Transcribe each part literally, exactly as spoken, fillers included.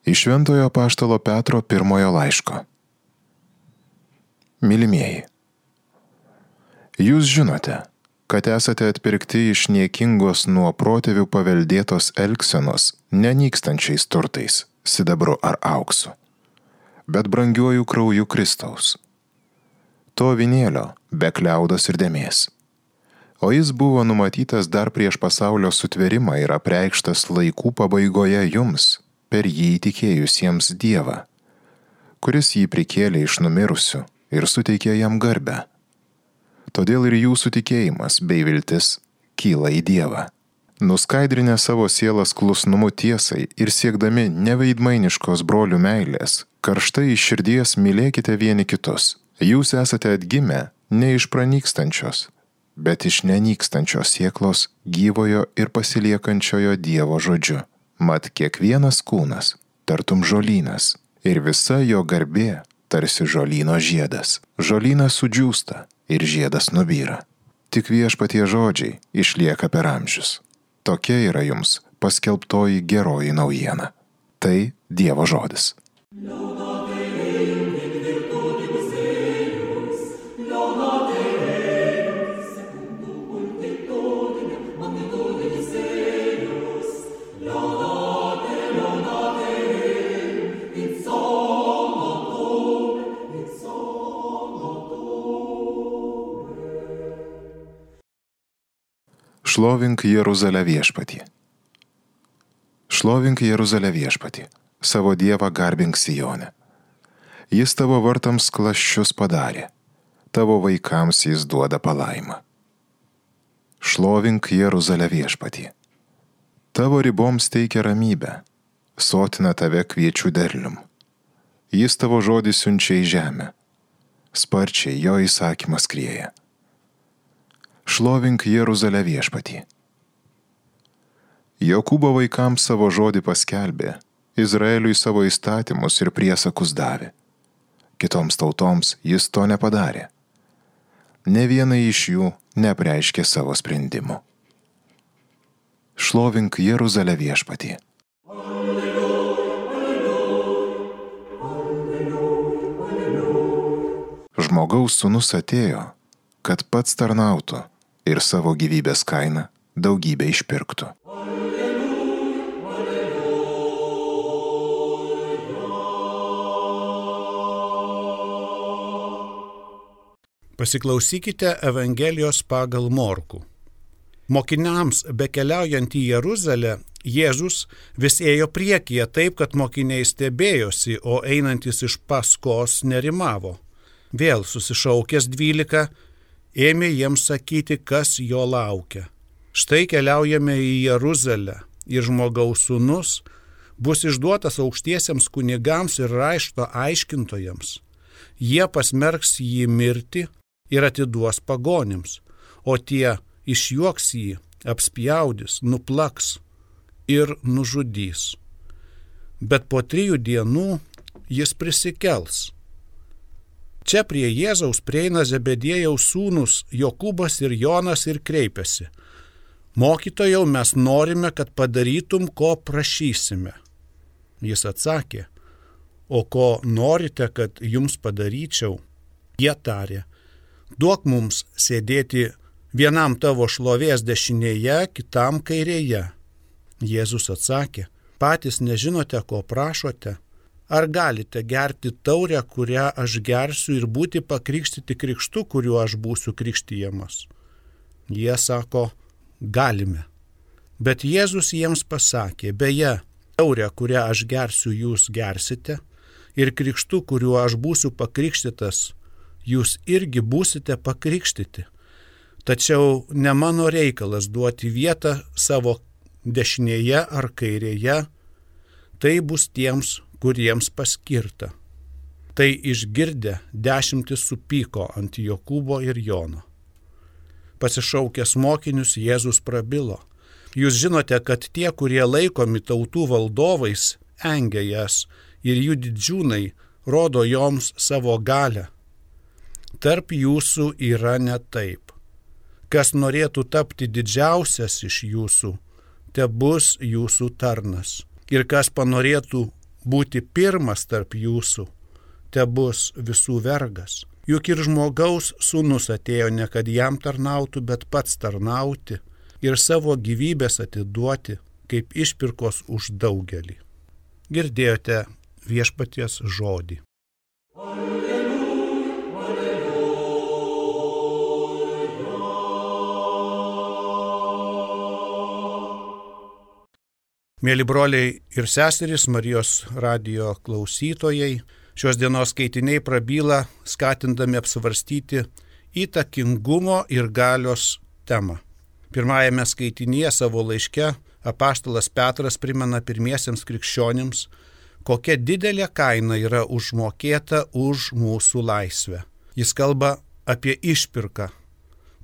Iš Šventojo apaštalo Petro pirmojo laiško. Mylimieji, jūs žinote, kad esate atpirkti iš niekingos nuo protėvių paveldėtos elgsenos nenykstančiais turtais, sidabru ar auksu, bet brangiuoju krauju Kristaus. To avinėlio be kliaudos ir dėmės. O jis buvo numatytas dar prieš pasaulio sutvėrimą ir apreikštas laikų pabaigoje jums, per jį įtikėjusiems Dievą, kuris jį prikėlė iš numirusių ir suteikė jam garbę. Todėl ir jūsų tikėjimas bei viltis kyla į Dievą. Nuskaidrinę savo sielas klusnumu tiesai ir siekdami neveidmainiškos brolių meilės, karštai iš širdies mylėkite vieni kitus. Jūs esate atgimę ne iš pranykstančios, bet iš nenykstančios sieklos gyvojo ir pasiliekančiojo Dievo žodžiu. Mat kiekvienas kūnas, tartum žolynas, ir visa jo garbė, tarsi žolyno žiedas. Žolynas sudžiūsta ir žiedas nubyra. Tik Viešpatie žodžiai išlieka per amžius. Tokia yra jums paskelbtoji geroji naujiena. Tai Dievo žodis. Šlovink Jeruzalę viešpatį. Šlovink Jeruzalę viešpatį, savo Dievą garbink Sione. Jis tavo vartams klasčius padarė, tavo vaikams jis duoda palaimą. Šlovink Jeruzalę viešpatį. Tavo riboms teikia ramybę, sotina tave kviečių derlium. Jis tavo žodį siunčia į žemę, sparčiai jo įsakymas skrieja. Šlovink Jeruzalę viešpatį. Jokūbo vaikams savo žodį paskelbė, Izraeliui savo įstatymus ir priesakus davė. Kitoms tautoms jis to nepadarė. Ne viena iš jų neapreiškė savo sprendimų. Šlovink Jeruzalę viešpatį. Žmogaus sūnus atėjo, kad pats tarnautų ir savo gyvybės kainą daugybę išpirktų. Pasiklausykite Evangelijos pagal Morkų. Mokiniams bekeliaujant į Jeruzalę, Jėzus vis ėjo priekyje taip, kad mokiniai stebėjosi, o einantis iš paskos nerimavo. Vėl susišaukęs dvylika, ėmė jiems sakyti, kas jo laukia. Štai keliaujame į Jeruzalę ir žmogaus sūnus bus išduotas aukštiesiems kunigams ir rašto aiškintojams. Jie pasmerks jį mirti ir atiduos pagonims, o tie išjuoks jį, apspjaudys, nuplaks ir nužudys. Bet po trijų dienų jis prisikels. Čia prie Jėzaus prieina Zebediejaus sūnūs Jokūbas ir Jonas ir kreipiasi. Mokytojau, mes norime, kad padarytum, ko prašysime. Jis atsakė, o ko norite, kad jums padaryčiau? Jie tarė, duok mums sėdėti vienam tavo šlovės dešinėje, kitam kairėje. Jėzus atsakė, patys nežinote, ko prašote. Ar galite gerti taurę, kurią aš gersiu ir būti pakrikštyti krikštu, kuriuo aš būsiu krikštijamas? Jie sako, galime. Bet Jėzus jiems pasakė, beje, taurę, kurią aš gersiu, jūs gersite, ir krikštu, kuriuo aš būsiu pakrikštytas, jūs irgi būsite pakrikštyti. Tačiau ne mano reikalas duoti vietą savo dešinėje ar kairėje, tai bus tiems, kuriems paskirta. Tai išgirdę dešimtis supyko ant Jokūbo ir Jono. Pasišaukęs mokinius, Jėzus prabilo. Jūs žinote, kad tie, kurie laikomi tautų valdovais, engia jas ir jų didžiūnai rodo joms savo galią. Tarp jūsų yra ne taip. Kas norėtų tapti didžiausias iš jūsų, te bus jūsų tarnas. Ir kas panorėtų būti pirmas tarp jūsų, te bus visų vergas. Juk ir žmogaus sūnus atėjo ne kad jam tarnautų, bet pats tarnauti ir savo gyvybės atiduoti kaip išpirkos už daugelį. Girdėjote viešpaties žodį. Mėly broliai ir seserys, Marijos radijo klausytojai, šios dienos skaitiniai prabyla, skatindami apsvarstyti įtakingumo ir galios temą. Pirmajame skaitinyje savo laiške apaštalas Petras primena pirmiesiems krikščionims, kokia didelė kaina yra užmokėta už mūsų laisvę. Jis kalba apie išpirką,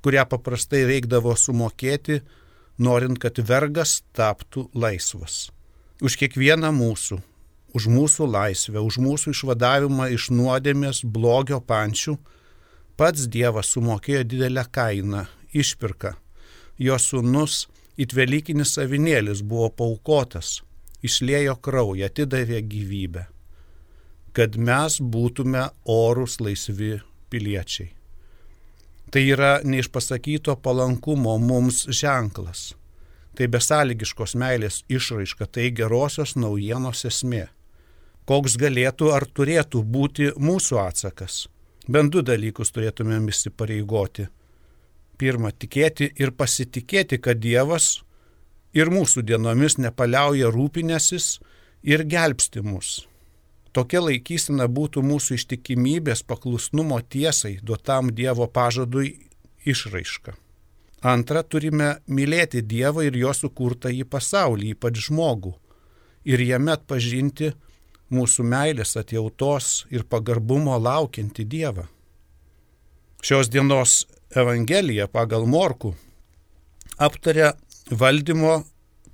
kurią paprastai reikdavo sumokėti, norint, kad vergas taptų laisvas. Už kiekvieną mūsų, už mūsų laisvę, už mūsų išvadavimą iš nuodėmės blogio pančių, pats Dievas sumokėjo didelę kainą, išpirką. Jo sūnus, it velykinis avinėlis, buvo paaukotas, išliejo kraują, atidavė gyvybę, kad mes būtume orūs laisvi piliečiai. Tai yra neišpasakyto palankumo mums ženklas. Tai besąlygiškos meilės išraiška, tai gerosios naujienos esmė. Koks galėtų ar turėtų būti mūsų atsakas? Bent du dalykus turėtumėm įsipareigoti. Pirma, tikėti ir pasitikėti, kad Dievas ir mūsų dienomis nepaliauja rūpinęsis ir gelbsti mus. Tokia laikysena būtų mūsų ištikimybės paklusnumo tiesai duotam Dievo pažadui išraiška. Antra, turime mylėti Dievą ir jo sukurtąjį pasaulį, ypač žmogų, ir jame atpažinti mūsų meilės, atjautos ir pagarbumo laukiantį Dievą. Šios dienos Evangelija pagal Morkų aptaria valdymo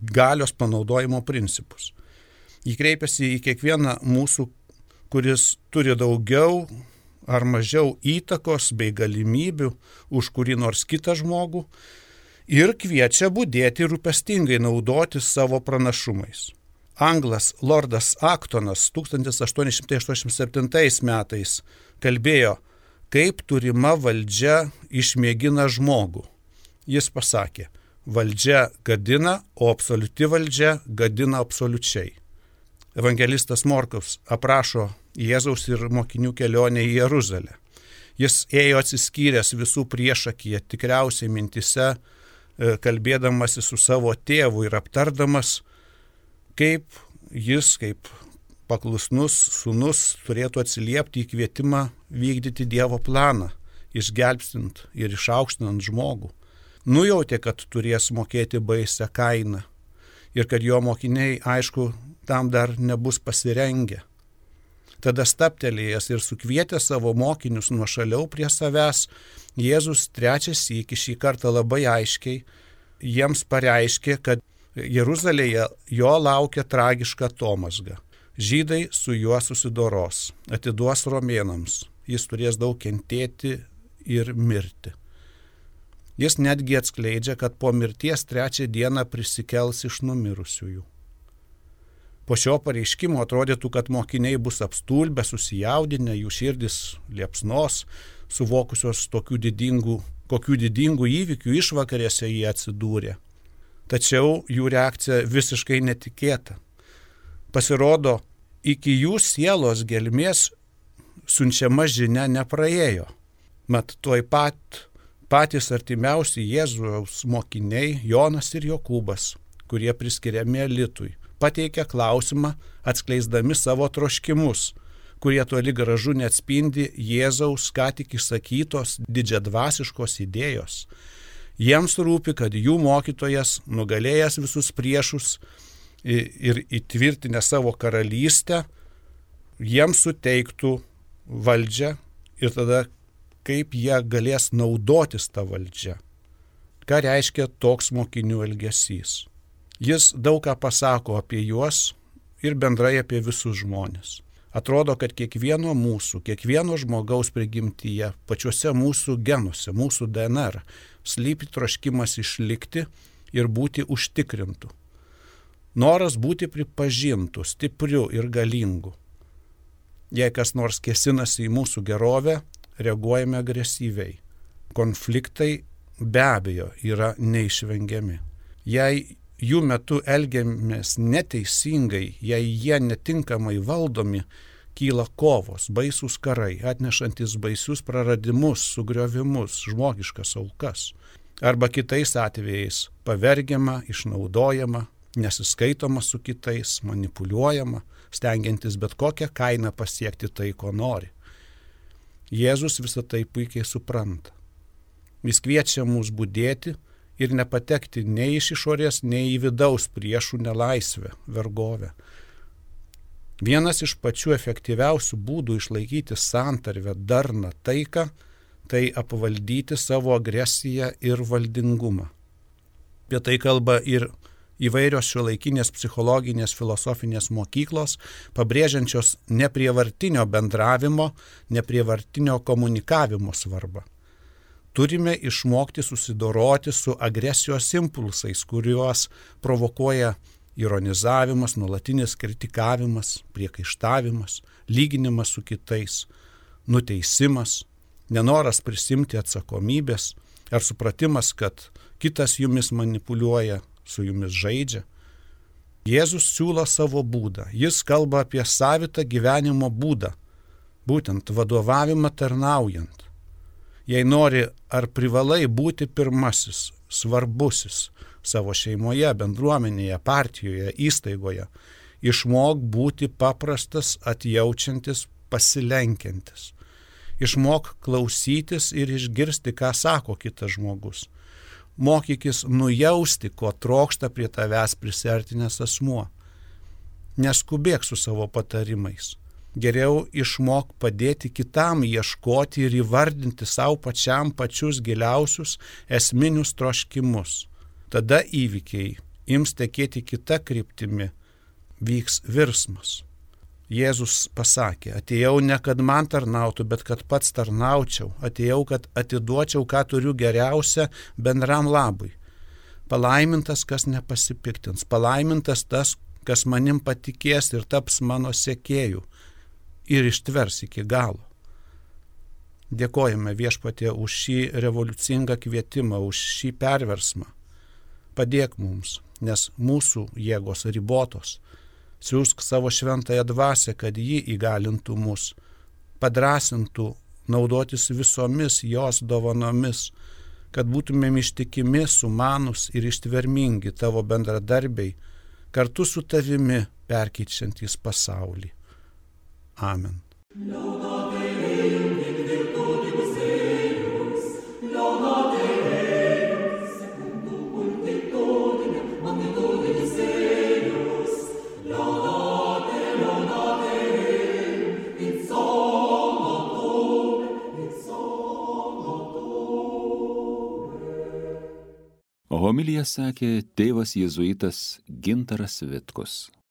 galios panaudojimo principus. Jį kreipiasi į kiekvieną mūsų, kuris turi daugiau ar mažiau įtakos bei galimybių už kurį nors kitą žmogų ir kviečia budėti rūpestingai naudotis savo pranašumais. Anglas Lordas Aktonas tūkstantis aštuoni šimtai aštuoniasdešimt septintais metais kalbėjo, kaip turima valdžia išmėgina žmogų. Jis pasakė, valdžia gadina, o absoliuti valdžia gadina absoliučiai. Evangelistas Morkus aprašo Jėzaus ir mokinių kelionę į Jeruzalę. Jis ėjo atsiskyręs visų priešakyje, tikriausiai mintise, kalbėdamasi su savo tėvu ir aptardamas, kaip jis, kaip paklusnus sūnus, turėtų atsiliepti į kvietimą vykdyti Dievo planą, išgelbstint ir išaukštinant žmogų. Nujautė, kad turės mokėti baisią kainą ir kad jo mokiniai, aišku, tam dar nebus pasirengę. Tada staptelėjęs ir sukvietęs savo mokinius nuošaliau prie savęs, Jėzus trečią sykį šį kartą labai aiškiai jiems pareiškė, kad Jeruzalėje jo laukia tragiška atomazga. Žydai su juo susidoros, atiduos romėnams, jis turės daug kentėti ir mirti. Jis netgi atskleidžia, kad po mirties trečią dieną prisikels iš numirusiųjų. Po šio pareiškimo atrodytų, kad mokiniai bus apstulbę, susijaudinę, jų širdis liepsnos, suvokusios tokių didingų, kokių didingų įvykių išvakarėse jie atsidūrė. Tačiau jų reakcija visiškai netikėta. Pasirodo, iki jų sielos gelmės siunčiama žinia nepraėjo. Mat tuoj pat patys artimiausi Jėzaus mokiniai, Jonas ir Jokūbas, kurie priskiriami elitui, pateikia klausimą, atskleisdami savo troškimus, kurie toli gražu neatspindi Jėzaus ką tik išsakytos didžiadvasiškos idėjos. Jiems rūpi, kad jų mokytojas, nugalėjęs visus priešus ir įtvirtinę savo karalystę, jiems suteiktų valdžią ir tada kaip jie galės naudotis tą valdžią. Ką reiškia toks mokinių elgesys? Jis daug ką pasako apie juos ir bendrai apie visus žmonės. Atrodo, kad kiekvieno mūsų, kiekvieno žmogaus prigimtyje, pačiuose mūsų genuose, mūsų D N R, slypi troškimas išlikti ir būti užtikrintų. Noras būti pripažintų, stipriu ir galingu. Jei kas nors kėsinasi į mūsų gerovę, reaguojame agresyviai. Konfliktai be abejo yra neišvengiami. Jei jų metu elgiamės neteisingai, jei jie netinkamai valdomi, kyla kovos, baisūs karai, atnešantis baisius praradimus, sugriovimus, žmogiškas aukas. Arba kitais atvejais pavergiama, išnaudojama, nesiskaitoma su kitais, manipuliuojama, stengiantis bet kokią kainą pasiekti tai, ko nori. Jėzus visą tai puikiai supranta. Jis kviečia mus budėti ir nepatekti nei iš išorės, nei į vidaus priešų nelaisvę, vergovę. Vienas iš pačių efektyviausių būdų išlaikyti santarvę, darną, taiką, tai apvaldyti savo agresiją ir valdingumą. Apie tai kalba ir įvairios šiuolaikinės psichologinės filosofinės mokyklos, pabrėžiančios neprievartinio bendravimo, neprievartinio komunikavimo svarbą. Turime išmokti susidoroti su agresijos impulsais, kuriuos provokuoja ironizavimas, nuolatinis kritikavimas, priekaištavimas, lyginimas su kitais, nuteisimas, nenoras prisimti atsakomybės ar supratimas, kad kitas jumis manipuliuoja, su jumis žaidžia. Jėzus siūlo savo būdą. Jis kalba apie savitą gyvenimo būdą, būtent vadovavimą tarnaujant. Jei nori ar privalai būti pirmasis, svarbusis savo šeimoje, bendruomenėje, partijoje, įstaigoje, išmok būti paprastas, atjaučiantis, pasilenkiantis. Išmok klausytis ir išgirsti, ką sako kitas žmogus. Mokykis nujausti, ko trokšta prie tavęs prisiartinęs asmuo. Neskubėk su savo patarimais. Geriau išmok padėti kitam ieškoti ir įvardinti savo pačiam pačius giliausius esminius troškimus. Tada įvykiai ims tekėti kita kryptimi, vyks virsmas. Jėzus pasakė, atėjau ne kad man tarnautų, bet kad pats tarnaučiau, atėjau, kad atiduočiau, ką turiu geriausia bendram labui. Palaimintas, kas nepasipiktins, palaimintas tas, kas manim patikės ir taps mano sekėju ir ištvers iki galo. Dėkojame Viešpatie už šį revoliucingą kvietimą, už šį perversmą. Padėk mums, nes mūsų jėgos ribotos. Siųsk savo šventąją dvasią, kad ji įgalintų mus, padrasintų naudotis visomis jos dovanomis, kad būtumėm ištikimi, sumanus ir ištvermingi tavo bendradarbiai, kartu su tavimi perkeičiantys pasaulį. Amen. Homiliją sakė tėvas jėzuitas Gintaras Vitkus.